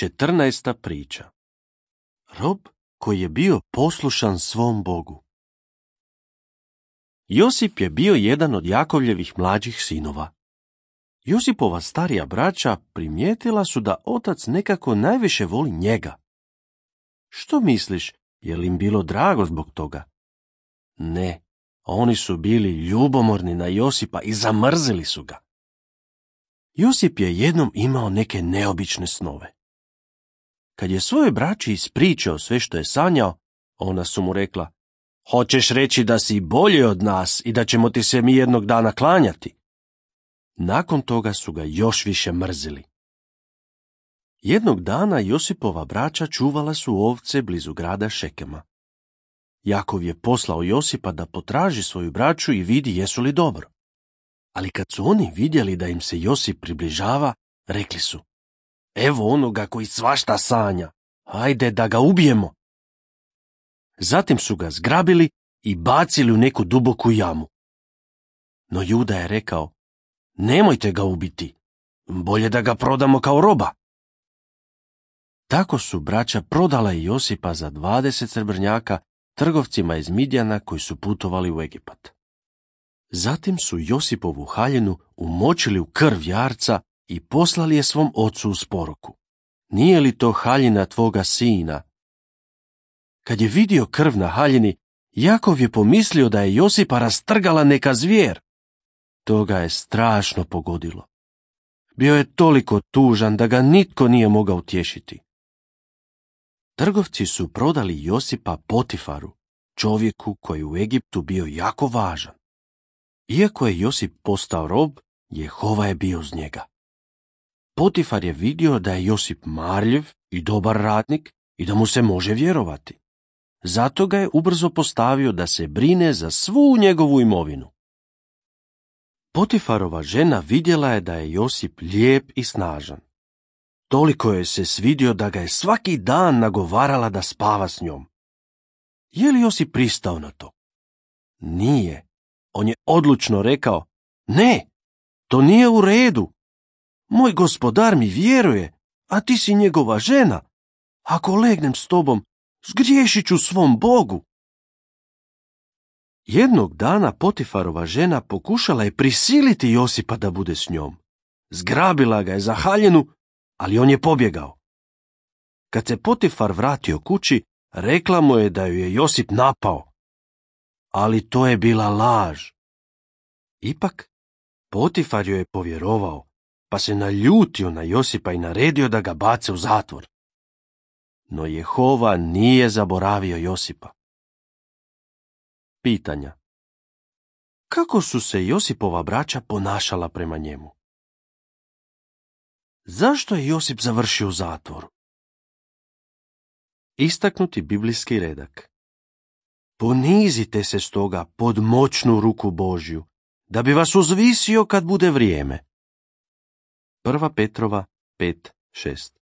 14. priča. Rob koji je bio poslušan svom Bogu. Josip je bio jedan od Jakovljevih mlađih sinova. Josipova starija braća primijetila su da otac nekako najviše voli njega. Što misliš, je li im bilo drago zbog toga? Ne, oni su bili ljubomorni na Josipa i zamrzili su ga. Josip je jednom imao neke neobične snove. Kad je svojoj braći ispričao sve što je sanjao, ona su mu rekla: "Hoćeš reći da si bolji od nas i da ćemo ti se mi jednog dana klanjati?" Nakon toga su ga još više mrzili. Jednog dana Josipova braća čuvala su ovce blizu grada Šekema. Jakov je poslao Josipa da potraži svoju braću i vidi jesu li dobro. Ali kad su oni vidjeli da im se Josip približava, rekli su: "Evo onoga koji svašta sanja, hajde da ga ubijemo." Zatim su ga zgrabili i bacili u neku duboku jamu. No Juda je rekao: "Nemojte ga ubiti, bolje da ga prodamo kao roba." Tako su braća prodala i Josipa za 20 srebrnjaka trgovcima iz Midjana koji su putovali u Egipat. Zatim su Josipovu haljinu umočili u krv jarca i poslali je svom ocu uz poruku: "Nije li to haljina tvoga sina?" Kad je vidio krv na haljini, Jakov je pomislio da je Josipa rastrgala neka zvijer. To ga je strašno pogodilo. Bio je toliko tužan da ga nitko nije mogao utješiti. Trgovci su prodali Josipa Potifaru, čovjeku koji je u Egiptu bio jako važan. Iako je Josip postao rob, Jehova je bio uz njega. Potifar je vidio da je Josip marljiv i dobar radnik i da mu se može vjerovati. Zato ga je ubrzo postavio da se brine za svu njegovu imovinu. Potifarova žena vidjela je da je Josip lijep i snažan. Toliko je se svidio da ga je svaki dan nagovarala da spava s njom. Je li Josip pristao na to? Nije. On je odlučno rekao: "Ne, to nije u redu. Moj gospodar mi vjeruje, a ti si njegova žena. Ako legnem s tobom, zgriješit ću svom Bogu." Jednog dana Potifarova žena pokušala je prisiliti Josipa da bude s njom. Zgrabila ga je za haljinu, ali on je pobjegao. Kad se Potifar vratio kući, rekla mu je da ju je Josip napao. Ali to je bila laž. Ipak, Potifar joj je povjerovao, pa se naljutio na Josipa i naredio da ga bace u zatvor. No Jehova nije zaboravio Josipa. Pitanja. Kako su se Josipova braća ponašala prema njemu? Zašto je Josip završio u zatvoru? Istaknuti biblijski redak. Ponizite se stoga pod moćnu ruku Božju, da bi vas uzvisio kad bude vrijeme. 1. Petrova 5:6